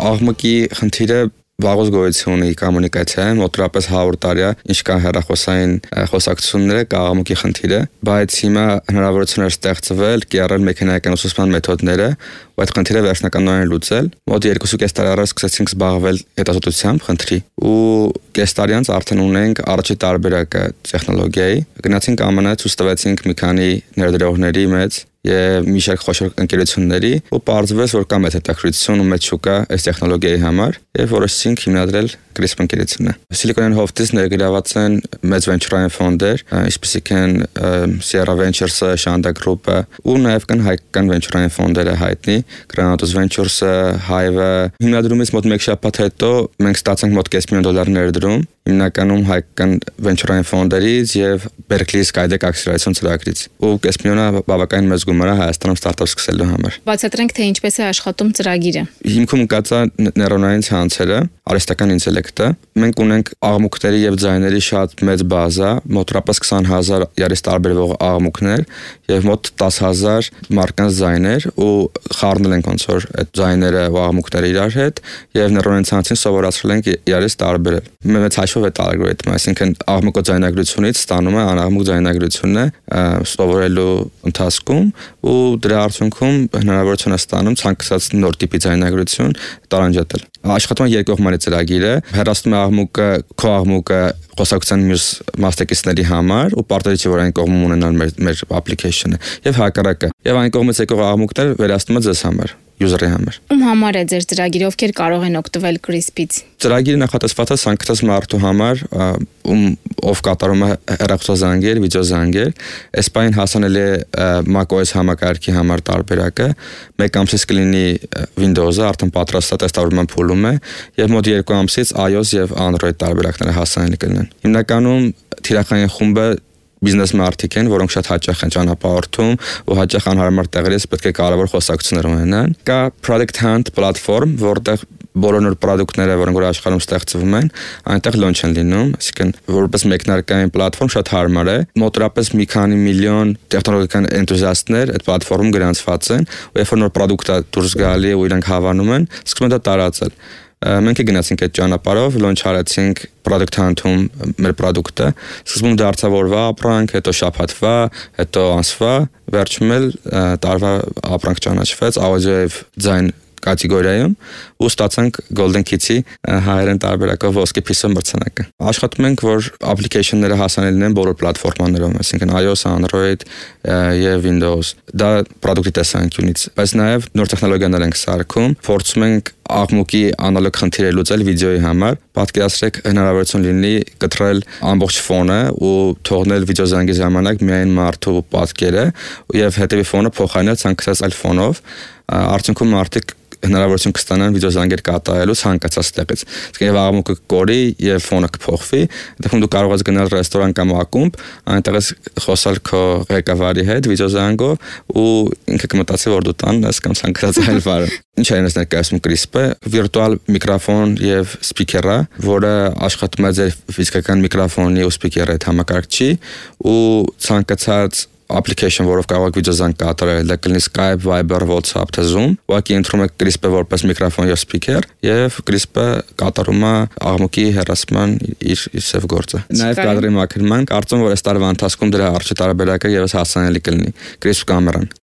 Աղմուկի խնդիրը վաղուց գոյություն ունի կոմունիկացիայում, մոտավորապես 100 տարի է, ինչ կան հեռախոսային խոսակցությունները, կա աղմուկի խնդիրը, բայց հիմա հնարավորություն էր ստեղծվել կիրառել մեքենայական ուսուցման մեթոդները, ու այդ խնդիրը վերջնականորեն լուծել։ Մոտ 2.5 տարի առաջ սկսեցինք զբաղվել հետազոտությամբ խնդրի, ու կես տարի անց արդեն ունենք առաջի տարբերակը տեխնոլոգիայի։ Գնացինք ԱՄՆ, ցույց տվեցինք մի քանի ներդրողների մեծ եւ մի շարք խոշոր ընկերությունների, ու պարզվեց, որ կա մեծ հետաքրքրություն ու մեծ շուկա այս տեխնոլոգիայի համար, եւ որոշեցինք հիմնադրել CRISP ընկերությունը։ Silicon Hoftis ներգրաված են մեծ venture-ային ֆոնդեր, ինչպիսիք են Sierra Ventures-ը, Shanda Group-ը, ու նաեւ կան հայկական venture-ային ֆոնդերը հայտնի, Granados Ventures-ը, Hive-ը։ Հիմնադրումից մոտ 1 շաբաթ հետո մենք ստացանք մոտ $5 միլիոն ներդրում, հիմնականում հայկական venture-ային ֆոնդերից եւ Berkeley Skydeck ակսելերացիոն ծրագրից։ Ու $5 միլիոնը բավականին մեծ գումար է Հայաստանում ստարտափ սկսելու համար։ Բացատրենք, թե ինչպես է աշխատում ծրագիրը։ Հիմքում կա նեյրոնային ցանցերը, արհեստական ինտելեկտը։ Մենք ունենք աղմուկների եւ ձայների շատ մեծ բազա, մոտավորապես 20,000 երես տարբերվող աղմուկներ եւ մոտ 10,000 մարկանց ձայներ, ու խառնել ենք ոնց որ այդ ձայները ու աղմուկները իրար հետ եւ նեյրոնային ցանցին սովորացրել ենք երես տարբերել։ Մեծ հաշվով է ալգորիթմը, այսինքն աղմուկը ձայնագրությունից ստանում է անաղմուկ ձայնագրությունը սովորելու ընթացքում, ու դրա արդյունքում հնարավորություն է ստանում ցանկացած նոր տիպի ձայնագրություն տարանջատել։ Աշխատում է երկկողմանի ծրագիրը, հեռացնում է աղմուկը, քո աղմուկը խոսակցության մյուս մասնակիցների համար, ու պարտադիր չէ որ այն կողմում ունենալ մեր application-ը, եւ հակառակը։ Եւ այն կողմից եկող աղմուկները վերացնում է ձեզ համար, user-ի համար։ Ում համար է ձեր ծրագիրը, ովքեր կարող են օգտվել CRISP-ից։ Ծրագիրը նախատեսված է ցանկացած մարդու համար, ով կատարում է հեռախոսազանգեր, վիդեոզանգեր։ Այս պահին հասանելի է macOS համակարգի համար տարբերակը, 1 ամսից կլինի Windows-ը, արդեն պատրաստ է, տեստավորման փուլում է, եւ մոտ 2 ամսից iOS եւ Android տարբերակները հասանելի կլինեն։ Հիմնականում թիրախային խումբը բիզնես մարդիկ են, որոնք շատ հաճախ են ճանապարհորդում ու հաճախ անհարմար տեղերից պետք է կարևոր խոսակցություններ ունենան։ Կա Product Hunt պլատֆորմ, որտեղ բոլոր նոր պրոդուկտները, որոնք որ աշխարհում ստեղծվում են, այնտեղ լոնչ են լինում, այսինքն որպես մեկնարկային պլատֆորմ շատ հարմար է։ Մոտավորապես մի քանի միլիոն տեխնոլոգիական էնտուզիաստներ այդ պլատֆորմում գրանցված են, ու երբ որ նոր պրոդուկտ է դուրս գալի ու իրանք հավանում են, սկսում են դա տարածել։ Մենք գնացինք այդ ճանապարհով, լոնչ արեցինք Product Hunt-ում մեր պրոդուկտը, սկզբում դարձավորվա ապրանք, հետո շաբաթվա, հետո ամսվա, վերջում էլ տարվա ապրանք ճանաչվեց audio եւ ձայն կատեգորիայում, ու ստացանք Golden Key-ի հայերեն տարբերակով ոսկե փիսո մրցանակը։ Աշխատում ենք, որ application-ները հասանելի լինեն բոլոր պլատֆորմաներում, այսինքն iOS, Android եւ Windows։ Դա պրոդուկտի տեսանկյունից, բայց նաեւ նոր տեխնոլոգիաներ ենք սարքում, փորձում ենք աղմուկի անալոգ խնդիրը լուծել վիդեոյի համար։ Պատկերացրեք հնարավորություն լինի կտրել ամբողջ ֆոնը ու թողնել վիդեոզանգի ժամանակ միայն մարդու պատկերը եւ հետեւի ֆոնը փոխարինել ցանկացած այլ ֆոնով։ Արդյունքում մարդիկ հնարավորություն կստանան վիդեոզանգեր կատարելու ցանկացած տեղից։ Իսկ եւ աղմուկը կորի եւ ֆոնը կփոխվի, դեպքում դու կարող ես գնալ ռեստորան կամ ակումբ, այնտեղից խոսալ քո ղեկավարի հետ վիդեոզանգով, ու ինքը կմտածի որ դու տան ես կամ ցանկացած այլ բան։ Ինչ է ներկայացնում CRISP-ը, վիրտուալ միկրոֆոն եւ սփիքերը, որը աշխատում է ձեր ֆիզիկական միկրոֆոնի ու սփիքերի հետ համակարգչի, ու ցանկացած application, որով կարող եք վիդեոզանգ կատարել, դա կլինի Skype, Viber, WhatsApp, թե Zoom, ուղղակի ընտրում եք CRISP-ը որպես միկրոֆոն եւ սփիքեր, եւ CRISP-ը կատարում է աղմուկի հեռացման իր սև գործը։ Նաեւ կադրի մաքրման, կարծում որ այս տարվա ընթացքում դրա առաջի տարբերակը եւս հասանելի կլինի CRISP կամերան։